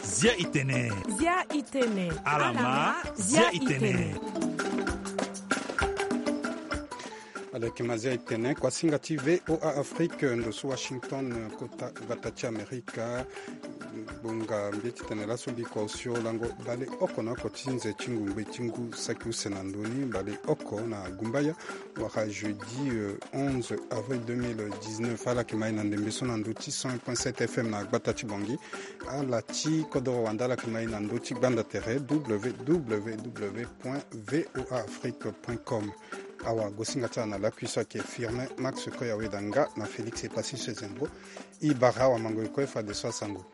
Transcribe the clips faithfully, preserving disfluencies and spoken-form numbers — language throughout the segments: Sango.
Zia itene. Zia itene. Alama, zia itene. Alekima zia itene, kuasinga ti V O A Afrique, ndo so Washington, kota gbata ti Amerika. Bonga mbi ti tene laso mbi kua osio lango bale oko na oko ti nze ti ngungbe ti ngu saki use na ndoni, bale oko na gumbaya, wala jeudi, euh, onze avril deux mille dix-neuf. Ala yeke ma e na ndembe so na ndö ti cent un point sept F M na gbata ti Bangui. Ala ti kodoro wande ala yeke ma e na ndö ti gbanda tere W W W point V O A Afrique point com. Awagosinga ti ala na lakui so ayeke Firmin Max Koya Weda nga na Félix Epassis Sezembo. E bara awamango e kue fadeso asango.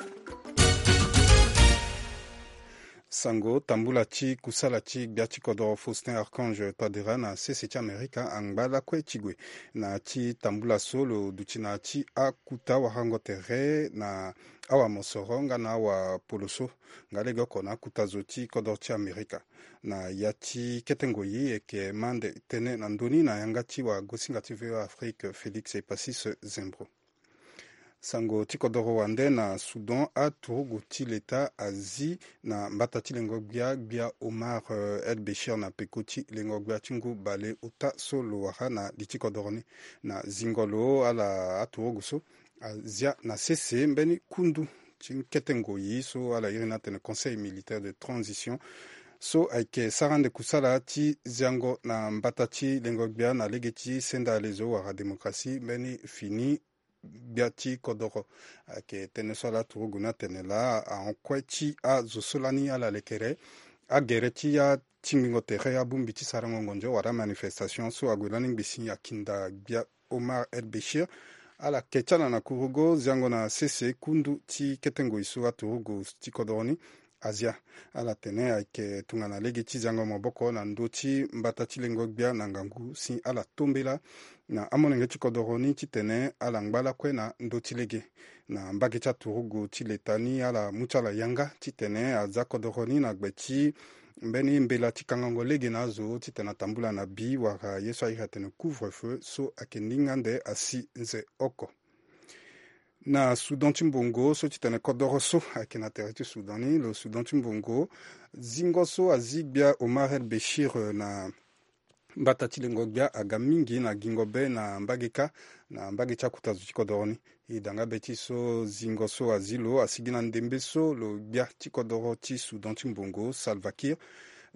Sango, tambula ti kusala ti gbia ti kodoro Faustin Archange Touadéra na sese ti Amerika angba lakue ti gue. Na ya ti tambula so lo duti na ya ti akuta warango tere na awamosoro nga na awapoloso, nga legeoko na akuta zo ti kodoro ti Amerika. Na ya ti kete ngoi e yeke ma ande tënë na ndö ni na yanga ti wagosinga ti V O A Afrique Félix Epassis Zembro. Sango ti kodoro wande na Soudan, aturugu ti leta azi na mbata ti lengo-gbia, gbia Omar, euh, El Béchir na peko ti lengo-gbia ti ngu bale ota so lo wara na li ti kodoro ni. Na zingo lo ala aturugu so azia na sese mbeni kundu ti kete ngoi so ala iri ni atene Conseil militaire de transition, so ayeke sara ande kusala ti ziango na mbata ti lengo-gbia na lege ti senda alezo wala démocratie mbeni fini gbia ti kodoro. Ayeke tënë so ala turugu ni atene laa ahon kue ti azo so lani ala lekere agere ti atingbingo tere, abongbi ti sarango ngonzo wala amanifestation so ague lani ngbisi akinda gbia Omar El Béchir. Ala ke ti ala na kurugo ziango na sese kundu ti kete ngoi so aturugu ti kodoro ni azia. Ala tene ayeke tongana lege ti ziango maboko na ndö ti mbata ti lengo-gbia na ngangu si ala tombela na amolenge ti kodoro ni titene ala ngba lakue na ndö ti lege. Na mbage ti aturugu ti leta ni ala mu ti ala yanga titene aza kodoro ni na gbe ti mbeni mbela ti kangango lege na azo titene atambula na bi wala ye so airi atene couvre-feu so ayeke ndinga ande asi nze oko. Na Soudan ti mbongo so titene kodoro so ayeke na tere ti Soudan ni, lo Soudan ti mbongo, zingo so azi gbia Omar El Béchir, euh, na mbata ti lengo-gbia aga mingi na gingo be na mbage kâ, na mbage ti akuta zo ti kodoro ni. E da nga be ti so zingo so azi lo asigi na ndembe so lo gbia ti kodoro ti Soudan ti mbongo Salva Kiir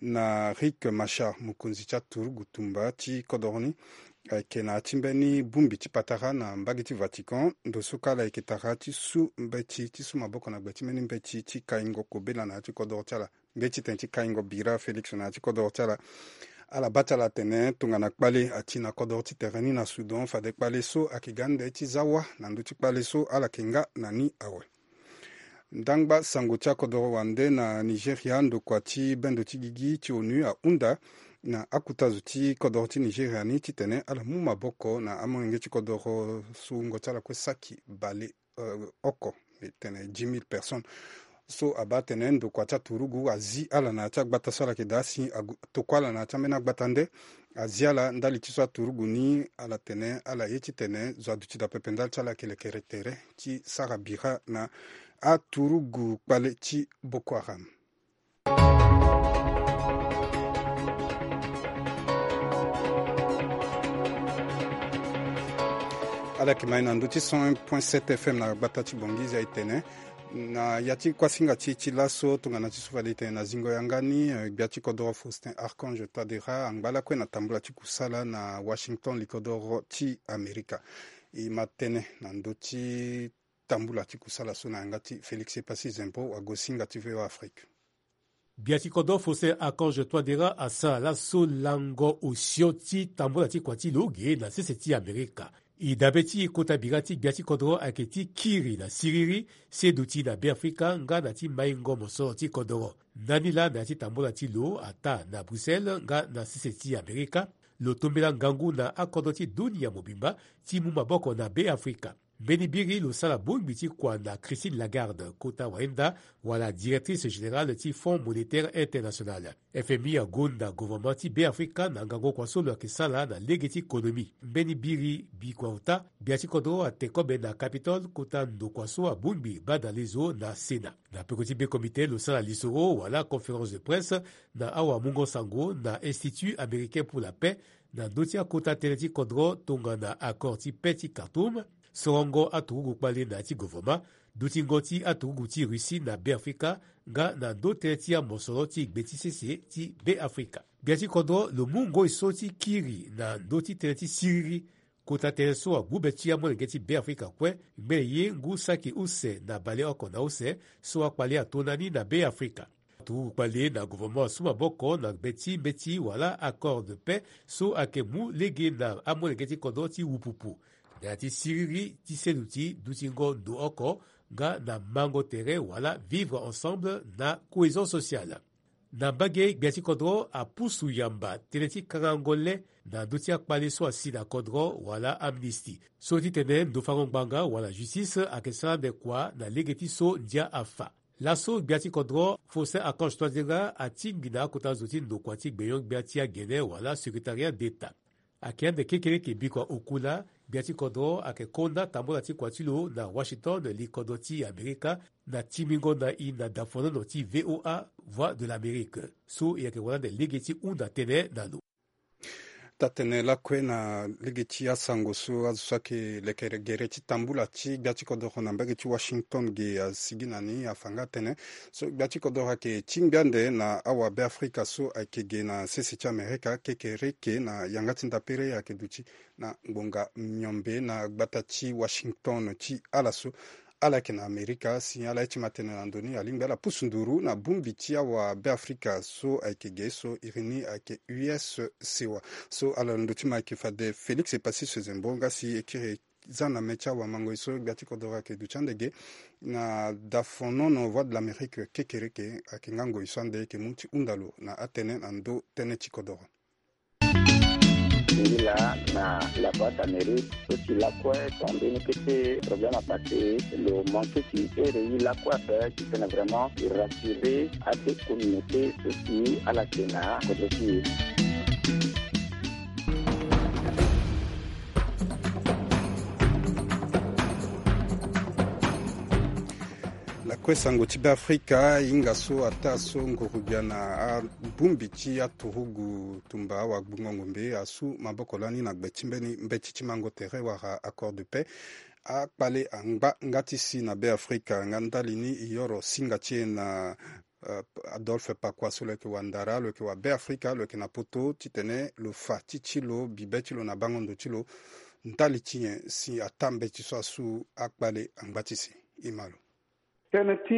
na Riek Machar, mokonzi ti aturugu tumba ti kodoro ni, ayeke na ya ti mbeni bongbi ti patara na mbage ti Vatican, ndo so kâ ala yeke tara ti su mbeti, ti su maboko na gbe ti mbeni mbeti ti kaingo kobela na ya ti kodoro ti ala. Nge ti tene ti kaingo bira Félix na ya ti kodoro ti ala. Ala baa ti ala atene tongana kpale ati na kodoro ti tere ni na Soudan, fade kpale so ayeke ga ande ti za wâ na ndö ti kpale so ala yeke nga na ni awe. Ndangba sango ti akodoro wande na Nigeria, ndokua ti bendo ti gigi ti onu ahunda na akuta zo ti kodoro ti Nigeria ni titene ala mu maboko na amolenge ti kodoro so wungo ti ala kue saki bale, euh, oko, tene dix mille personnes. So abaa atene ndokua ti aturugu azi ala na ya ti agbata so ala yeke daa si agu-, tokua ala na ya ti ambeni agbata nde. Azi ala ndali ti so aturugu ni ala tene ala ye titene zo aduti daa pepe ndali ti ala ayeke lekere tere ti sara bira na aturugu kpale ti Boko Haram. Ala yeke ma e na ndö ti cent un point sept F M na gbata ti Bangui, zia e tene. Na ya ti kuasinga ti e ti laso tongana ti so fade e tene na zingo yanga ni, eh, gbia ti kodoro Faustin Archange Touadéra angba lakue na tambula ti kusala na Washington, li kodoro ti Amerika. E ma tënë na ndö ti tambula ti kusala so na yanga ti Félix Epassi Zempo, wagosinga ti V O A Afrique. Gbia ti kodro Faustin Archange Touadéra asara laso lango osio ti tambula ti kua ti lo ge na sese ti Amerika. E dabe ti e kota bira ti gbia ti kodro ayeke ti kiri na siriri, se duti na Beafrika nga na ti maingo mosoro ti kodro. Ndani laa na ya ti tambula ti lo ataa na Bruxelles nga na sese ti Amerika, lo tombela ngangu na akodro ti dunia mobimba ti mu maboko na Beafrika. Mbeni biri lo sara bongbi ti kua na Christine Lagarde, kota wayenda wala directrice générale ti Fonds Monétaire International. F M I agonda gouvernement ti Beafrika na ngangu kua so lo yeke sara na lege ti konomi. Mbeni biri bikua ota, gbia ti kodro ate kobe na Capitole kota ndokua so abongbi badalezo na Sénat. Na peko ti be comité lo sara lisoro wala conférence de presse na awamungo sango na Institut américain pour la paix, na ndö ti akota tënë ti kodro tongana accord ti paix ti Khartoum. Sorongo aturugu kpale na ya ti gouvernement, dutingo ti aturugu ti Russie na Beafrika, nga na ndö tënë ti amosoro ti gbe ti sese ti Beafrika. Gbia ti kodro lo mu ngoi so ti kiri na ndö ti tënë ti siriri. Kota tënë so agbu be ti amolenge ti Beafrika kue, ngbene ye ngu saki use na baleoko na use so akpale ato na ni na Beafrika. Aturugu kpale na gouvernement asu maboko na gbe ti mbeti wala accord de paix so ayeke mu lege na amolenge ti kodro ti wupupu, na ya ti siriri ti seduti dutingo ndo oko, nga na mango tere wala vivre ensemble na cohésion sociale. Na mbage, gbia ti kodro apusu yamba tënë ti kangango le na ndö ti akpale so asi na kodro wala amnistie. So ti tene ndo fango ngbanga wala justice ayeke sara ande kua na lege ti so ndia afa. Laso gbia ti kodro Faustin Archange Touadéra atingbi na akota zo ti ndokua ti gbenyo-gbia ti agene wala secrétariat d'État. Ayeke ande kekereke bikua oku laa, gbia ti kodro ayeke konda tambula ti kua ti lo na Washington, li kodro ti Amerika, na timbingo na e na dafonono ti V O A, Voix de l'Amérique, so e yeke wara ande lege ti hunda tënë na lo. Taa-tënë lakue na lege ti asango so azo so ayeke leke gere ti tambula ti gbia ti kodoro na mbage ti Washington ge asigi na ni afa nga atene so gbia ti kodoro ayeke tingbi ande na awabeafrika so ayeke ge na sese ti Amerika kekereke na yanga ti ndapere ayeke duti na ngbonga miombe na gbata ti Washington ti ala so. Ala yeke na Amerika si ala ye ti ma tene na ndo ni alingbi ala pusu nduru na bongbi ti awabeafrika so ayeke ge so iri ni ayeke U S sewa. So ala londo ti ma ayeke fade Félix Epassy Sezembo nga si e kiri za na me ti awamangoi so gbia ti kodoro ayeke duti ande ge na dafonono Voix de l'Amérique kekereke ayeke nga ngoi so ande e yeke mu ti hunda lo na atënë na ndo tënë ti kodoro. Ngi laa na la Voix d'Amérique so si lakue tongana mbeni kete problème apassé lo manqué ti here ye lakue ape titene vraiment e rassurer ade communauté so si ala yeke na kodro ti e. Lakue sango ti Beafrika, hinga so ataa so nguru-gbia na abongbi ti aturugu tumba awagbungo ngombe asu maboko lani na gbe ti mbeni mbeti ti mango tere wala accord de paix. Akpale angba nga ti si na Beafrika nga ndali ni e yoro singa ti e na, eh, Adolphe Pakua so lo yeke wandara, lo yeke wabeafrika, lo yeke na poto titene lo fa ti ti lo bibe ti lo na bango ndo ti lo ndali ti nyen si ataa mbeti so asu akpale angba ti si. E ma lo. Tënë ti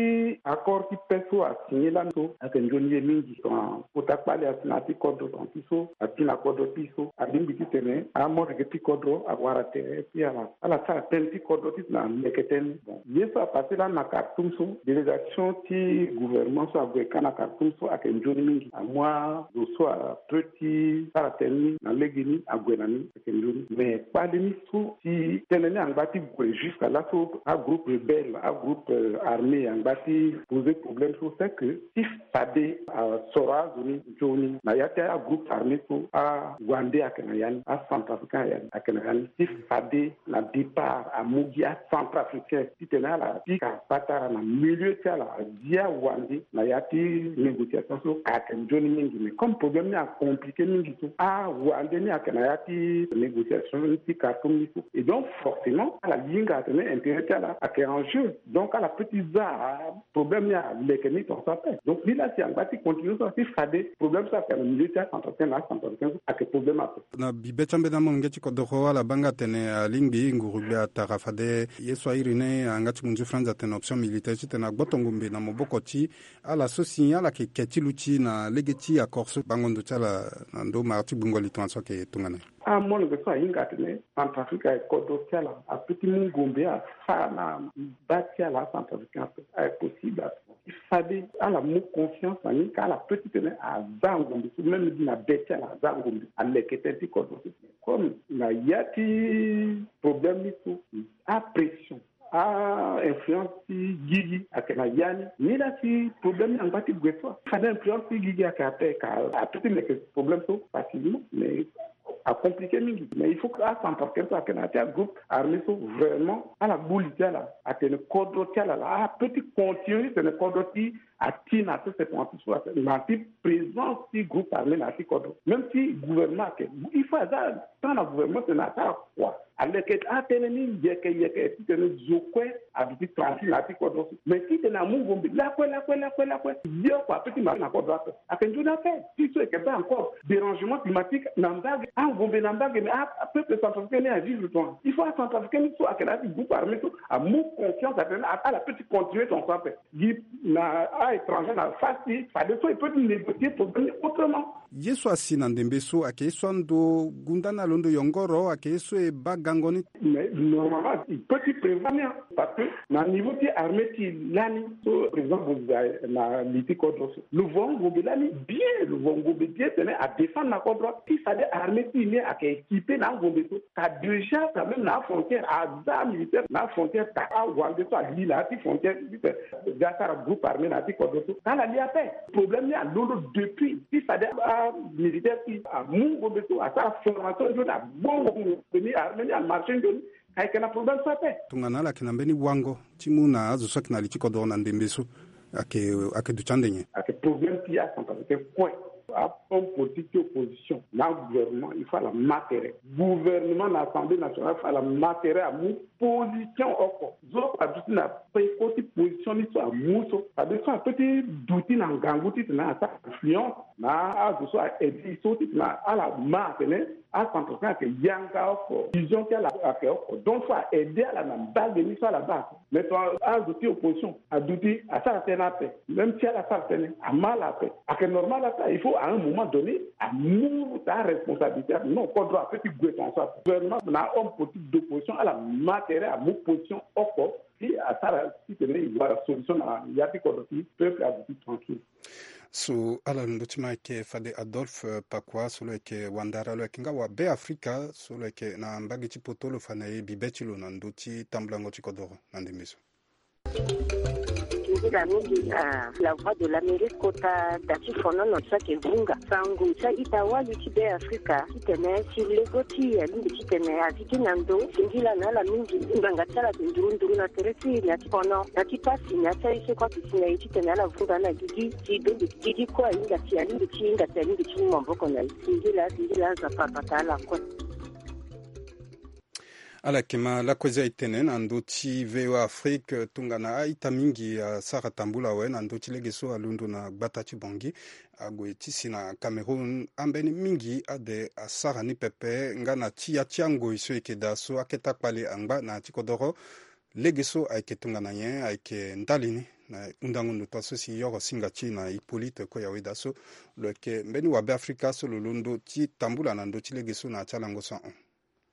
accord ti paix so asigné lani so ayeke nzoni ye mingi. Tongana kota kpale asi na ya ti kodro, tongana ti so asi na kodro ti so alingbi titene amolenge ti kodro awara tere ti ala, ala sara tënë ti kodro titene aleke tënë. Bon, ye so apassé lani na Khartoum so, délégation ti gouvernement so ague ka na Khartoum so ayeke nzoni mingi. Amu azo so apre ti sara tënë ni na lege ni ague na ni. Ayeke nzoni. Mais kpale ni so si tënë ni angba ti gue jusqu'à laso agroupe rebelle, agroupe, euh, armé angba ti poser problème so, c'est que si fade asoro azo ni nzoni na ya ti agroupe armé so awande ayeke na ya ni, acentrafricain ayeke na ya ni. Si fade na départ amu gi acentrafricain titene ala pika patara na milieu ti ala, adia wande na ya ti négociation so ayeke nzoni mingi. Mais comme problème ni acompliqué mingi so, awande ni ayeke na ya ti négociation ni ti Khartoum ni so. Et donc forcément ala hinga atene intérêt ti ala ayeke en jeu. Donc ala peut ti za problème ni aleke ni tongaso ape. Donc ni laa si angba ti continuer so si fade problème so ayeke na milieu ti acentrafricain na acentrafricain so ayeke problème ape. Na bibe ti ambeni amolenge ti kodoro ala baa nga atene alingbi nguru-gbia atara fade ye so airi ni ayanga ti munzu franz atene option militaire titene agboto ngombe na maboko ti ala so si ala yeke ke ti luti na lege ti accord so bango ndo ti ala na ndo mara ti gbungo li tongaso ayeke tongana nyen. Amolenge so ahinga atene Centrafrique ayeke kodro ti ala, ape ti mu ngombe afa na ba ti ala acentrafricain ape. Ayeke possible ape. Fade ala mu confiance na ni ka ala pe ti tene aza angombe so même gi na be ti ala aza angombe aleke tënë ti kodro so. Comme na ya ti problème ni so, apression, a influence ti gigi ayeke na ya ni. Ni la ti problème ni angba ti gue so, fade influence ti gigi ayeke ape ka ape ti meke problème so facilement mais acompliqué mingi. Mais il faut que acentrafricain so ayeke na ya ti agroupe armé so vraiment ala gbu li ti ala atene kodro ti ala la ape ti continue ti tene kodro ti ati na ti sepanti so na ti présence ti groupe armé na ya ti kodro. Même si gouvernement ayeke, il faut aza temps na gouvernement tene asara kua aleke atënë ni yeke yeke ti tene zo kue aduti tranquille na ya ti kodro so. Mais ti tene amu ngombe lakue lakue lakue lakue, ye oko ape ti marché na kodro ape. Ayeke nzoni ape ti so eke baa encore dérangement climatique na mbage angombe na mbage mais apeuple centrafricain ni avivre tonga. Il faut acentrafricain ni so ayeke na ya ti groupe armé so amu confiance atene ala pe ti continuer tonga so ape. Gi na a-étranger na face ti fadeso e peut ti négocier problème ni autrement. Ye so asi na ndembe so ayeke ye so ando gunda ni alondo yongoro ayeke ye so e baa gango ni. Mais normalement il peut ti prévoir ni, parce que na niveau ti armée ti lani so président boziza na li ti kodro so lo vo angombe lani bien, lo vo angombe bien tene adéfendre na kodro ti fade armée ti ni ayeke équipé na angombe so. Ka déjà quand même na afrontière aza militaire na afrontière ka awande so ali na ya ti frontière ti tene ga asara groupe armé na ya ti kodro so ka ala li ape. Problème ni alondo depuis ti fade amilitaire ti amu ngombe so asara formation nzoni abongo ngombe ni armé ni amarché nzoni. Ayeke na problème so ape. Tongana ala yeke na mbeni wango ti mu na azo so ayeke na li ti kodoro na ndembe so ayeke ayeke duti ande nyen? Ayeke problème ti acentrafricain kue. Ahomme politique ti opposition na gouvernement il faut ala ma tere. Gouvernement na assemblée nationale il faut ala ma tere amu position oko. Zo oko aduti na peko ti position ni so amu so fade so ape ti duti na ngangu titene asara influence na azo so aedi so titene ala ma atene acentrafricain ayeke yanga oko vision ti ala ayeke oko donc il faut a aide ala na mbage ni so ala baa. Mais ton azo ti opposition aduti asara tënë ape. Même si ala sara tënë ama ala ape ayeke normal ata il faut à un moment donné amu ta aresponsabilité ape non kodro ape ti gue ton so ape gouvernement na homme politique d'opposition ala ma tere amu position oko ti asara titene e wara solution na ya ti kodro ti peuple aduti tranquille. So ala londo ti ma ayeke fade Adolphe Pakua so lo yeke wandara lo yeke nga wa Be Afrika so lo yeke na mbage ti poto lo fa na e bibe ti lo na ndö ti tambulango ti kodoro na ndembe so. Nzila mingi na La Voix de l'Amérique kota da ti fonono ti ayeke vunga sango ti a-ita wali ti Be Afrika titene si lego ti e alingbi titene azi gi na ndo singila na ala mingi ngbanga ti ala ayeke nduru nduru na tere ti e na ti fono na ti pasi na ya ti aye so kue ayeke si na e titene ala vunga na gigi si donge gigi kue ahinga si alingbi ti hinga si alingbi ti mu maboko na e. Singila singila Nzapa abata ala kue. Ala yeke ma lakue za e tene na ndö ti V O A Afrique tongana a-ita mingi asara tambula awe na ndö ti lege so alondo na gbata ti Bangui ague ti si na Cameroun ambeni mingi ade asara ni pepe nga na ti ya ti angoi so e yeke daa so akete akpale angba na ya ti kodoro. Lege so ayeke tongana nyen ayeke ndali ni na hundango ndo taa so si yoro singa ti e na Hippolyte Koyawe daa so lo yeke mbeni wa Be Afrika so lo londo ti tambula na ndö ti lege so na ya ti alango so ahon.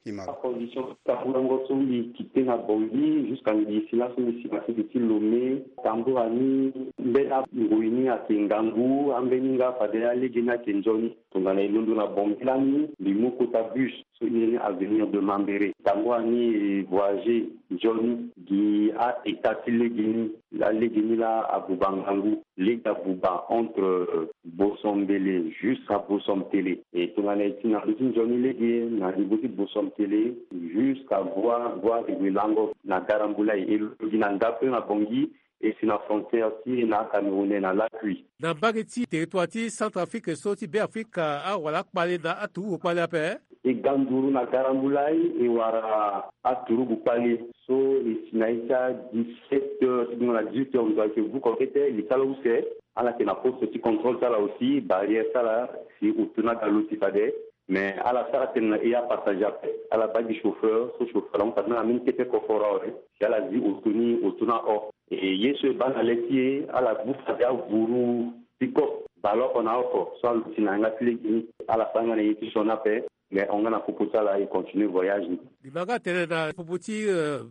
Hima. Acondition ti tamboulango so mbi kite na Bangui jusqu'à ngi si laso mbi si na sese ti Lomé. Tambula ni mbeni angoi ni ayeke ngangu ambeni nga fade alege ni ayeke nzoni. Tongana e londo na Bangui lani mbi mu kota bus so e iri ni Avenir de Mambéré. Tambula ni e voyager nzoni gi a-ita ti lege ni. Laa lege ni laa abuba ngangu. Lege abuba entre Bosombele jusqu'à Bosomtele. E tongana e ti na ndö ti nzoni lege na niveau ti Bosomtele jusqu'à Voie Voie de Guelango na Garambulay e londo gi na ndape na Bangui e si na frontière ti e na Cameroun na Lakuy. Na mbage ti territoire ti Centrafrique so ti Be Afrika awara akpale na aturugu kpale ape. E ga nduru na Garambulay e wara aturugu kpale so e si na ya ti a dix-sept heures ti gbongo na dix-huit heures ndo ayeke vuko kete li ti ala use. Ala yeke na poste ti contrôle ti ala aussi barrière ti ala si oto ni aga loti fade. Mais ala sara tënë na e apassager ape ala baa gi chauffeur so chauffeur ahon fade na ambeni kete koforo awe. Si ala zi oto ni oto ni ahon. E ye so e baa na le ti e ala gbu fade avuru ti kope baleoko na oko so aluti na yanga ti lege ni. Ala sara nga na ye ti sioni ape. Mais hon nga na popo ti ala e continuer voyage ni. Li ma nga tene na popo ti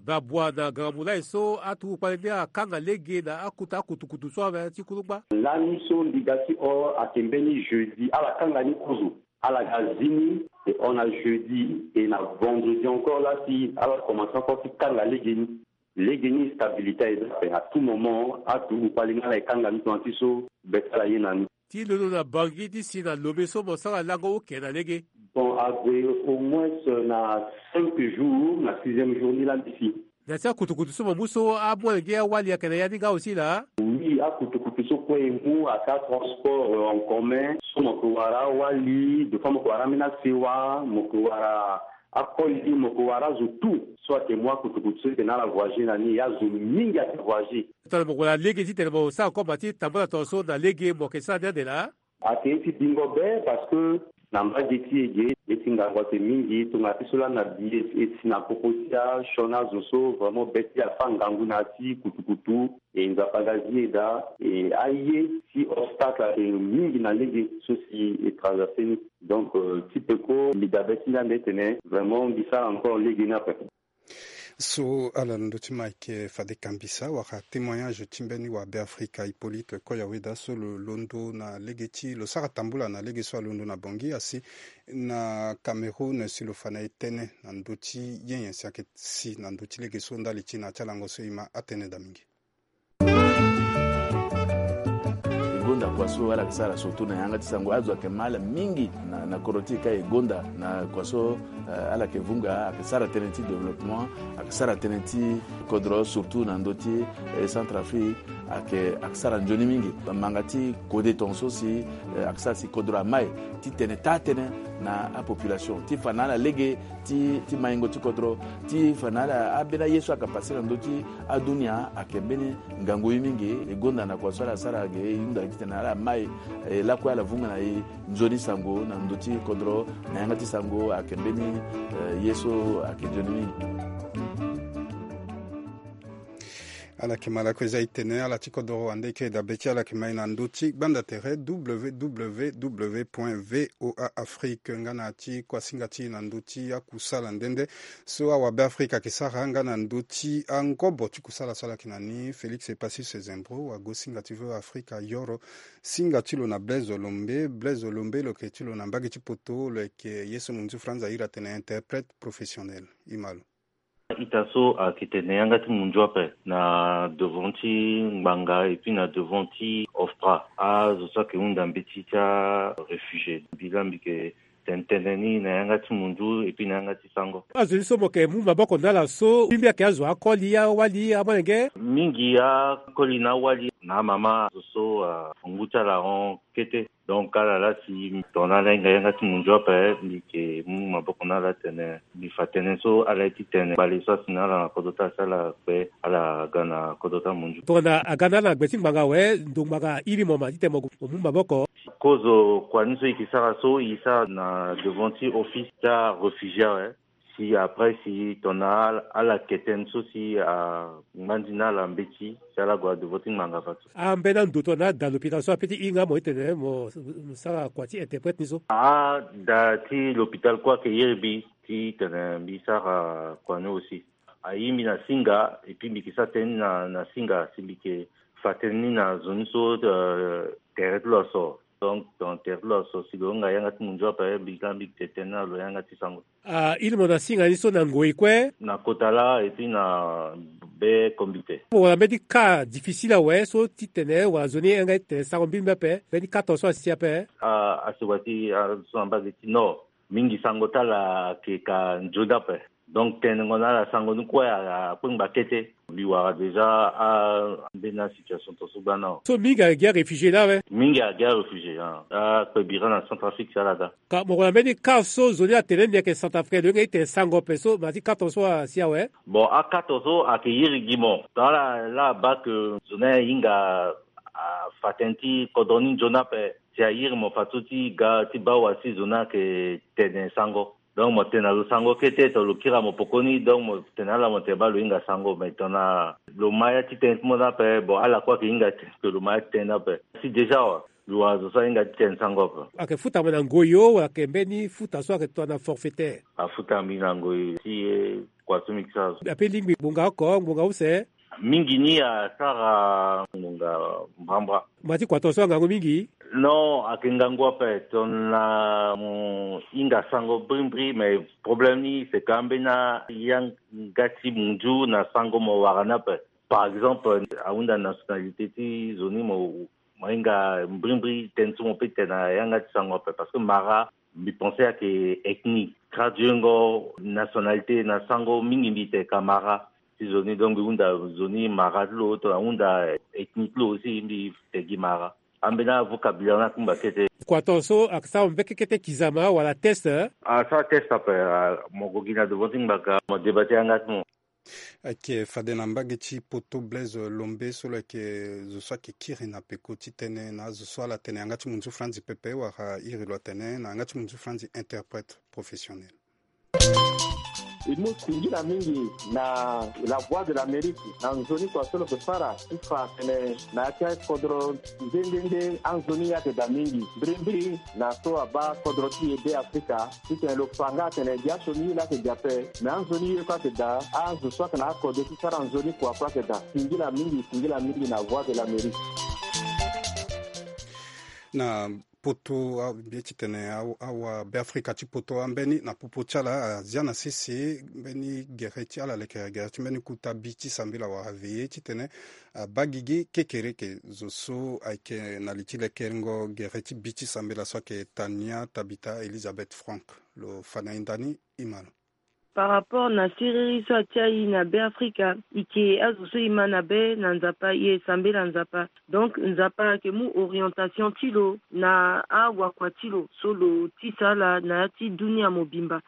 babua na ganga mulai so aturugu kpale ni akanga lege na akuta akutukutu so ave ti kulukpa. Lani so mbi ga ti hon ayeke mbeni jeudi ala kanga ni kozo. Ala ga zi ni. E hon na jeudi et na vendredi encore la si ala commence encore ti kanga lege ni. Lege ni stabilité aye daa ape. À tout moment aturugu kpale ni ala e kanga ni tongana ti so be ti ala ye na ni. Ti londo na Bangui ti si na Lomé so mo sara lango oke na lege? Bon, ague au moins na cinq jours, na sixième jour ni la mbi si. Na ti akutukutu so mo mu so amolenge awali ayeke na ya ni nga aussi laa? Oui, akutukutu so kue e mu aka transport en commun so mo ke wara awali, de fois mo ke wara ambeni asewa, mo ke wara akoli, mo ke wara azo tout so ayeke mu akutukutu so e tene ala voyager na ni, azo mingi ayeke voyager. Tongana mo gue na lege titene mo sara koma ti tambula tongaso na lege mo yeke sara ni ande laa? Ayeke ye ti bingo be parce que na mbage ti e ge ye ti ngangu ayeke mingi tongana ti so lani na bi e si na popo ti asioni azo so vraiment be ti e afa ngangu na ya ti kutukutu. E Nzapa aga zi e daa. E aye ti obstacle ayeke mingi na lege so si e traverser ni. Donc ti peko mbi dabe ti ni ande tene vraiment mbi sara encore lege ni ape. So ala na ndö ti ma ayeke fade kambisa wala témoignage ti mbeni wabe afrika Hippolyte Koyaweda so lo londo na lege ti lo sara tambula na lege so alondo na Bangui asi na Cameroun si lo fa na e tënë na ndö ti ye nyen si ayeke si na ndö ti lege so ndali ti na ya ti alango so e ma atënë daa mingi. E gonda kua so ala yeke sara surtout na yanga ti sango azo ayeke ma ala mingi na, na kodro ti e ka e gonda na kua so, eh, ala yeke vunga ayeke sara tënë ti développement, ayeke sara tënë ti kodro surtout na ndö ti, eh, Centrafrique ayeke, ayeke sara nzoni mingi. Bamanga ti kode tongaso si, eh, ayeke sara si kodro amai ti tene taa-tënë na apopulation ti fa na ala lege ti, ti maingo ti kodro ti fa na ala ambeni aye so ayeke pase na ndö ti adunia ayeke mbeni ngangu ye mingi. E gonda na kua so ala sara ge e hunda titene ala mai, eh, lakue ala vunga na e nzoni sango na ndö ti kodro na yanga ti sango ayeke mbeni, eh, ye so ayeke nzoni mingi. Ala yeke ma lakue eza e tene ala ti kodro wande eke dabe ti ala yeke ma e na ndö ti gbanda tere www point voa afrique nga na ya ti kuasinga ti e na ndö ti akusala nde nde so awabe afrika ayeke sara nga na ndö ti angobo ti kusala so ala yeke na ni. Félix Epacis Zembro wagosinga ti voa afrika ayoro singa ti lo na Blaise Olombe. Blaise Olombe lo yeke ti lo na mbage ti poto lo yeke ye so munzu franz ahiri atene interprète professionnel. E ma lo. Ita so ayeke tene yanga ti munzu ape na devant ti ngbanga et puis na devant ti ofpra azo so ayeke hunda mbeti ti aréfugié. Mbi laa mbi yeke tene tënë ni na yanga ti munzu et puis na yanga ti sango. Azo ni so mo yeke mu maboko na ala so mbi mbi ayeke azo akoli awali amolenge? Mingi akoli na awali na amama azo so afa ngu ti ala ahon kete. Donc ala laa si tongana ala hinga yanga ti munzu ape mbi yeke mu maboko na ala tene mbi fa tënë so ala ye ti tene kpale so asi na ala na kodro ti ala si ala kpe ala ga na kodro ti amunzu. Tongana aga na ala na gbe ti ngbanga awe ndo ngbanga airi mo ma titene mo gue mo mu maboko. Kozo kua ni so e yeke sara so e sara na devant ti office ti aréfugié awe. Si après si tongana ala, ala ke tënë so si angba nzoni na ala mbeti si ala gue na devant ti ngbanga fadeso. Ambeni ando tongana ada l'hôpital so ape ti hinga mo titene mo, mo sara kua ti interprète ni so? Ada ti l'hôpital kue ayeke iri mbi titene mbi sara kua ni aussi. Aye mbi na singa et puis mbi yeke sara tënë ni na, na singa si mbi yeke fa tënë ni na zo ni so, euh, tere ti lo aso. Donc tongana tere ti lo aso si lo hinga yanga ti munzu ape mbi laa mbi yeke tene tënë na lo yanga ti sango. Ah, iri mo na singa ni so na ngoi kue? Na kota laa et puis na be comité. Mo wara mbeni cas difficile awe so titene wala zo ni e yanga ti tene sango mbirimbiri ape mbeni cas tongaso asi ape? Ah, asi wati, ah, so na mbage ti nord. Mingi sango ti ala ayeke ka nzoni ape. Donc tenengo na ala sango ni kue a, akpengba kete. Mbi wara déjà a, ambeni asituation tongaso gbana. So mingi ayeke gi aréfugié laa awe? Mingi ayeke gi aréfugié, ah. Akpe bira na Centrafrique si ala ga. Ka mo gue na mbeni cas so zo ni atene ni ayeke Centrafricain lo hinga ti tene sango ape so ma ti cas tongaso asi awe? Bon, a cas tongaso ayeke iri gi mo. Tongana ala, ala baa ke zo ni ahinga afa tënë ti kodro ni nzoni ape. Si airi mo fadeso ti ga ti baa wa si zo ni ayeke tene sango. Donc mo tene na lo sango kete tongana lo kiri na mo pekoni, donc mo tene na ala mo tene baa lo hinga sango, mais tongana lo ma ya ti tënë ti mo ni ape, bon ala kue ayeke hinga tene ke lo ma ya ti tënë ni ape. Si déjà wa Lo azo so ahinga ti tene sango ape. Ayeke futa mo na ngoi o, wala ayeke mbeni futa so ayeke tongana forfaitaire? Afuta mbi na ngoi ti, eh, kua so mbi ke sara so. Ape lingbi ngbonga oko, ngbonga use? Mingi ni asara ngbonga mbrambra. Mo ya ti kua tongana so angangu mingi? Non, ayeke ngangu ape tongana mo hinga sango brimbri, mais problème ni c'est que ambeni ayanga ti munzu na sango mo wara ni ape. Par exemple, ahunda nationalité ti zo ni mo, mo hinga mbrimbri tënë so mo peut tene na yanga ti sango ape, parce que mara, mbi pense ayeke ethnie. Traduire ngo nationalité na sango mingi mbi tene ka mara ti zo ni, donc mbi hunda zo ni mara ti lo, tongana ahunda ethnie ti lo aussi mbi tene gi mara. Ambeni avocabulaire ni akungba kete. Kua tongana so asara mbekekete kizama wala test, eh? Asara test ape, ah, mo gue gi na devant ti ngbanga, mo débat ti yanga ti mo. Ayeke fade na mbage ti poto Blaise Lombe so lo yeke zo so ayeke kiri na peko ti tënë na azo so ala tene yanga ti munzu franzi pepe wala iri lo atene na yanga ti munzu franzi interprète professionnel. E mu singila mingi na La Voix de l'Amérique na nzoni kua so lo yeke sara ti fa atene na ya ti akodro nde nde nde anzoni ayeke daa mingi. Mbirimbiri na so abaa kodro ti e Be Afrika, titene lo fa nga atene gi asioni ye laa ayeke daa ape, me anzoni ye kue ayeke daa, azo so ayeke na akodro ti sara nzoni kua kue ayeke daa. Singila mingi, singila mingi na Voix de l'Amérique. Na poto, a, mbi ye titene a, awa Be Afrika ti poto ambeni na popo ti ala azia na sese mbeni gere ti ala lekere gere ti mbeni kuta bi ti sambela wala veillée titene abaa gigi kekereke. Zo so ayeke na li ti lekerengo gere ti bi ti sambela so ayeke Tania Tabitha Elizabeth Frank. Lo fa na hinda ni, e ma lo. Par rapport na siriri so atia e na Be Afrika, e yeke azo so e ma na be na Nzapa, e sambela Nzapa. Donc Nzapa ayeke mu orientation ti lo na awakua ti lo so lo tisa ala na ya ti dunia mobimba.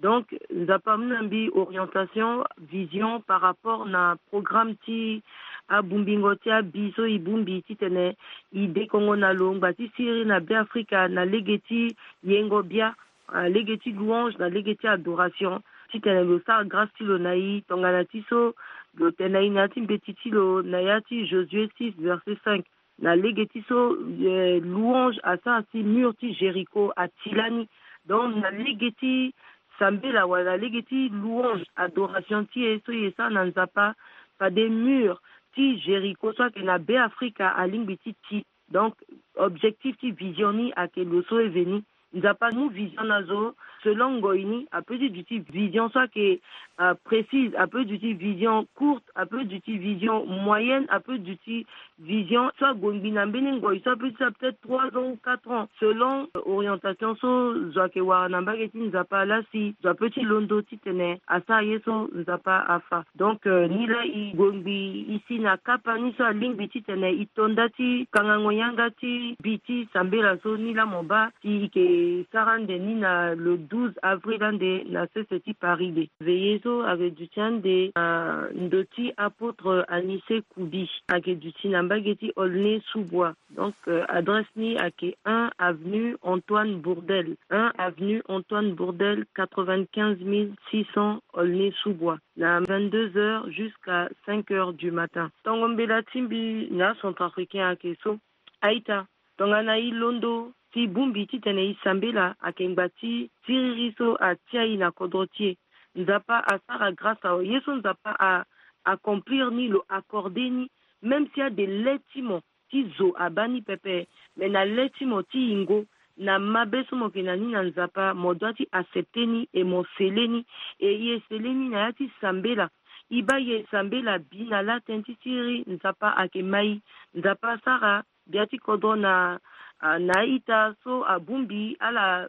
Donc Nzapa amu na mbi orientation, vision par rapport na programme ti abungbingo ti abi so e bongbi titene e dekongo na lo ngba ti siriri na Be Afrika na lege ti yengo bia, na lege ti louange, na lege ti adoration, titene lo sara grâce ti lo na e tongana ti so lo tene na e na ya ti mbeti ti lo na ya ti Josué six verset cinq. Na lege ti so, eh, louange asara si mur ti Jéricho ati lani. Donc na lege ti sambela wala na lege ti louange, adoration ti e so e sara na Nzapa, fade mur ti Jéricho so ayeke na Be Afrika alingbi ti ti. Donc objectif ti vision ni ayeke lo so e ve ni. Nzapa amu vision na zo selon ngoi ni. Apeut ti duti vision so ayeke, euh, précise, apeut duti vision courte, apeut duti vision moyenne, apeut duti vision so ague ngbii na mbeni ngoi so apeut ti sara peut-être trois ans ou quatre ans, selon, euh, orientation so zo ayeke wara na mbage ti Nzapa laa si zo apeut ti londo titene asara ye so Nzapa afa. Donc, euh, ni laa e gue ngbii e si na kapa ni so alingbi titene e to nda ti kangango yanga ti bi ti sambela so ni laa mo baa si e yeke sara ande ni na le douze avril ande na sese ti Paris de. Veillée so ayeke duti ande na ndo ti apôtre Anicet Koubi, ayeke duti na mbage ti Aulnay-sous-Bois. Donc, euh, adresse ni ayeke un avenue Antoine Bourdelle, un avenue Antoine Bourdelle, quatre-vingt-quinze mille six cents Aulnay-sous-Bois. Na vingt-deux heures jusqu'à cinq heures du matin. Tongo mbela ti mbi na acentrafricain ayeke so. A-ita, tongana e londo si e bongbi titene e sambela, ayeke ngba ti siriri so atia e na kodro ti e. Nzapa asara grâce awe. Ye so Nzapa a accomplir ni, lo accordé ni, même si ade le ti mo ti zo abaa ni pepe, mais na le ti mo ti yingo, na mabe so mo yeke na ni na Nzapa, mo doit ti accepter ni et mo scellé ni. Et e scellé ni na ya ti sambela. E baa e sambela bi na la tënë ti siriri, Nzapa ayeke ma e. Nzapa asara gbia ti kodro na, ah, na a-ita so abongbi ala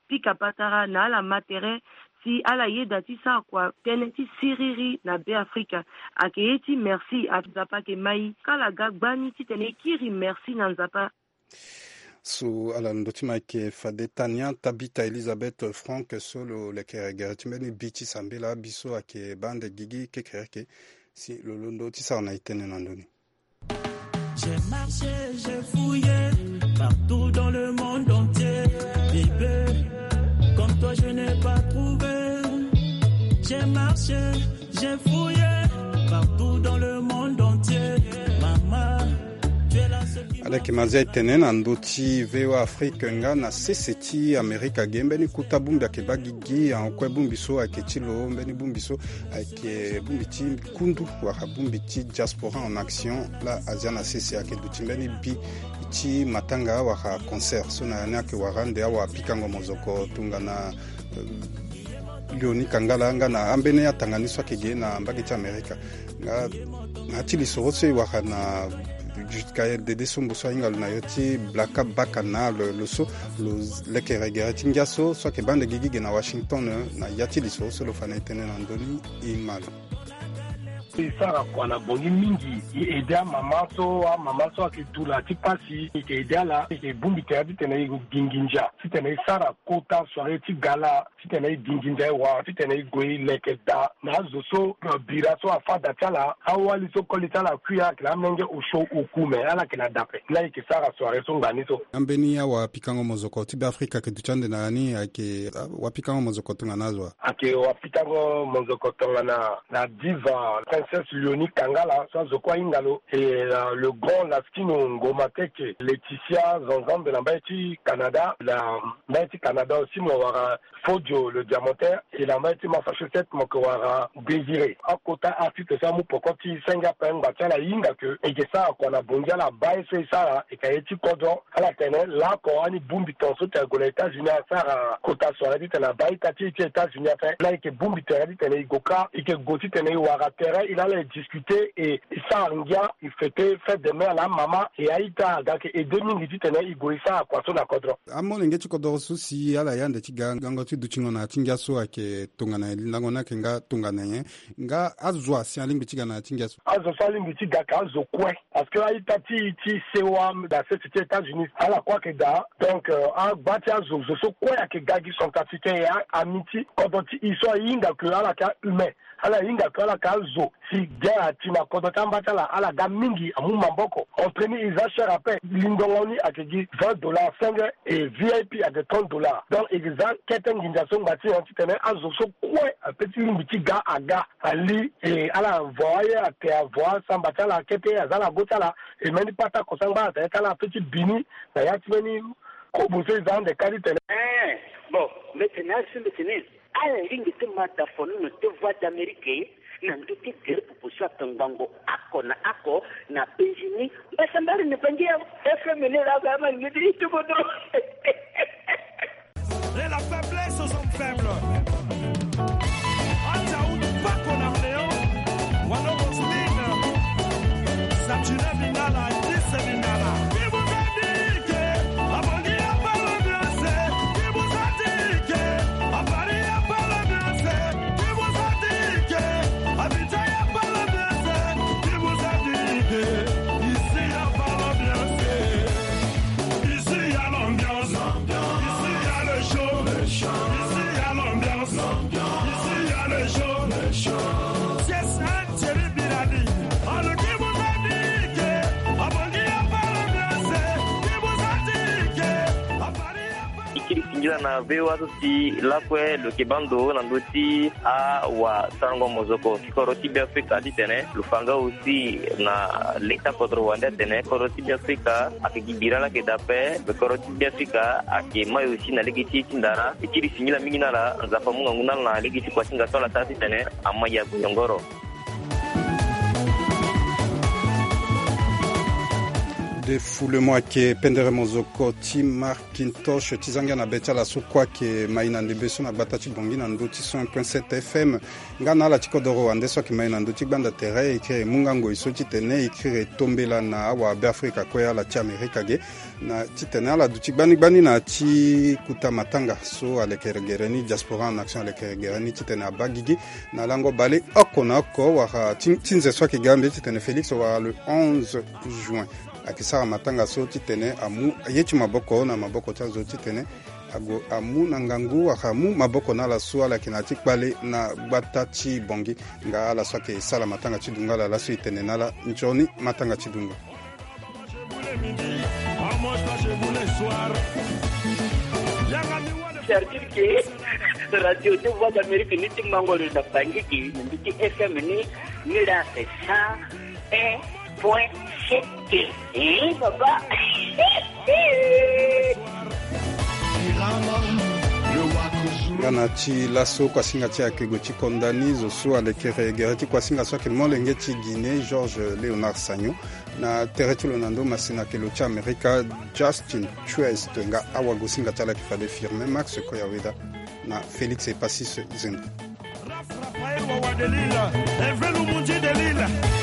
pika patara na ala ma tere si ala yeda ti sara kua tënë ti siriri na Be Afrika. Ayeke ye ti merci, Nzapa ayeke ma e. Kala ga gbani titene e kiri merci na Nzapa. So ala londo ti ma ayeke fade Tania Tabitha Elizabeth Frank so lo lekere gere ti mbeni bi ti sambela, bi so ayeke baa ande gigi kekereke. Si lo londo ti sara na e tënë na ndoni. J'ai marché, j'ai fouillé partout dans le monde entier. Bébé, comme toi, je n'ai pas trouvé. J'ai marché, j'ai fouillé partout dans le monde entier. Maman, tu es la seule qui Leke mazia e tene na ndö ti V O A Afrique nga na sese ti Amerika ge, mbeni kuta bongbi ayeke baa gigi, ahon kue bongbi so ayeke ti lo, mbeni bongbi so ayeke bongbi ti kundu wala bongbi ti diaspora en action. Laa azia na sese ayeke duti mbeni bi ti matanga wala concert so na ya ni ayeke wara ande awapikango mozoko tongana, eh, Léonie Kangala nga na ambeni atanga ni so ayeke ge na mbage ti Amerika. Nga na ya ti lisoro so e wara na jusqu'à dede so mbu so ahinga lo na yo ti blaka baka na lo, lo so lo lekere gere ti ngia so, so ayeke baa ande gigi ge na Washington, eh, na ya ti lisoro so lo fa na e tënë na ndö ni. E ma lo. E sara kua na bongi mingi, e aide amama so, amama so ayeke dula ti pasi, e yeke aide ala, e yeke bongbi tere titene e gue gi nginza titene e sara kota soirée ti gala, titene e gi nginza e wara, titene e gue e leke daa na azo so, eh, bira so afa da ti ala, awali so koli ti ala akui, ala yeke na amolenge osio oku, me ala yeke na da ape. Laa e yeke sara soirée so ngbani so. Ambeni awapikango mozoko ti Beafrika ayeke duti ande na ya ni, ayeke, ah, wapikango mozoko tongana azo wa? Ayeke wapikango mozoko tongana na diva Princesse Léonie Kangala so azo kue ahinga lo, e, euh, le grand Laskino Ngomateke, Laetitia Zanzambe na mbage ti Canada, na mbage ti Canada aussi mo wara Fodio le Diamantin, e na mbage ti Massachusetts mo yeke wara Désiré. Akota artiste so amu poko ti senge ape, ngba ti ala e hinga ke e yeke sara kua na bongi, ala baa ye so e sara, e yeke ye ti kodro. Ala tene laoko ani bongbi ton so tene e gue na États-Unis asara kota soirée titene abaa ita ti e ti États-Unis ape. Laa e yeke bongbi tere titene e gue kâ, e yeke gue titene e wara tere, e na ala e discuter, e, e sara ngia, e fêter fête des mères na amama, e a-ita aga ayeke aide mingi titene e gue e sara kua so na kodro. Amolenge ti kodro so si ala ye ande ti ga gango ti dutingo na ya ti ngia so ayeke tongana nyen? Lindango ni ayeke nga tongana nyen? Nga azo asi alingbi ti ga na ya ti ngia so? Azo so alingbi ti ga ayeke azo kue. Parce que a-ita ti, ti sewa na sese ti États-Unis, ala kue ayeke daa. Donc, euh, agba ti azo, zo so kue ayeke ga gi centrafricain, e a, ami ti kodro ti e so ahinga ke ala yeke ahumain. Ala hinga ke ala yeke azo si ge ati na kodro ti amba ti ala, ala ga mingi, amu maboko. Entrée ni e za cher ape. Lingongo ni ayeke gi vingt dollars senge, e V I P ayeke trente dollars. Donc e za kete nginza so ngba ti nyen titene azo so kue ape ti lingbi ti ga aga. Ali, e ala vo aye ate, avo asamba ti ala kete, aza na go ti ala. E mbeni patako so angba atene ti ala ape ti bini na ya ti mbeni kobo so e za ande kâ titene. Eh, bon, mbi tene azo so mbi tene ala lingbi ti ma da fonono ti Voix d'Amérique na ndö ti gere popo so ato ngbongo oko na oko na penzi ni. Mbasambara ni bangi ya F M ni laa, ba ma ni ti kodro. Et la faiblesse aux hommes faibles. Ata ou pas qu'on a Léon, Wano Roselyne, Satine Bingala, Alice Bingala. Qui vous a dit que à Bangui y a pas l'ambiance? Qui vous a dit que à Paris y a pas l'ambiance? Qui vous a dit que à Abidjan y a pas l'ambiance? Qui vous a dit que ici y a pas l'ambiance? Ici y a l'ambiance. Ici y a le show. Ici y a l'ambiance. Ici y a le show. C'est ça, Thierry Bilali. Alors qui vous a dit que à Bangui y a pas l'ambiance? Qui vous a dit que à Paris y a pas... E kiri singila na V O A so si lakue lo yeke baa ndo na ndö ti awasarango mozoko ti kodro ti Beafrika titene lo fa nga aussi na leta kodro wande atene kodro ti Beafrika ayeke gi bira laa ayeke daa ape. Kodro ti Beafrika ayeke mai aussi na lege ti e ti ndara. E kiri singila mingi na ala, Nzapa amu ngangu na ala na lege ti kua ti nga so ala sara titene amai ague yongoro. Defoulement ayeke pendere mozoko ti Marc Kintosh ti zangia na be ti ala so kue ayeke mai na ndembe so na gbata ti Bangui na ndö ti cent un point sept F M. Nga na ala ti kodoro wande so ayeke mai na ndö ti gbanda tere, e kiri e mu nga ngoi so titene e kiri e tombela na awabeafrika kue, ala ti Amerika ge, na titene ala duti gbani gbani na ya ti kota matanga so alekere gere ni, Diaspora en Action alekere gere ni, titene abaa gigi na lango bale oko na oko wala ti, ti nze so ayeke ga mbi titene Félix wala le onze juin. Ayeke sara matanga so titene amu ye ti maboko na maboko ti azo titene ague amu na ngangu wala amu maboko na ala so ala yeke na ya ti kpale na gbata ti Bangui. Nga ala so ayeke sala matanga ti dungo ala laso e tene na ala nzoni matanga ti dungo. C'est-à-dire que Radio de Voix d'Amérique ni ti mango lo na Bangui, ni ti F M ni, ni la c'est ça, eh. Point sept. Eh, papa. Nga na ti laso kuasinga ti ayeke gue ti konda ni zo so alekere gere ti kuasinga so ayeke molenge ti Guinée, Georges Léonard Sagnon. Na tere ti lo na ndo masina ayeke lo ti Amerika, Justin Truest. Nga awagosinga ti ala ayeke fade Firmin Max Koyaweda na Félix Epasis Zendri. Raphaël Wawa de Lille, Hervé Loumoundi de Lille.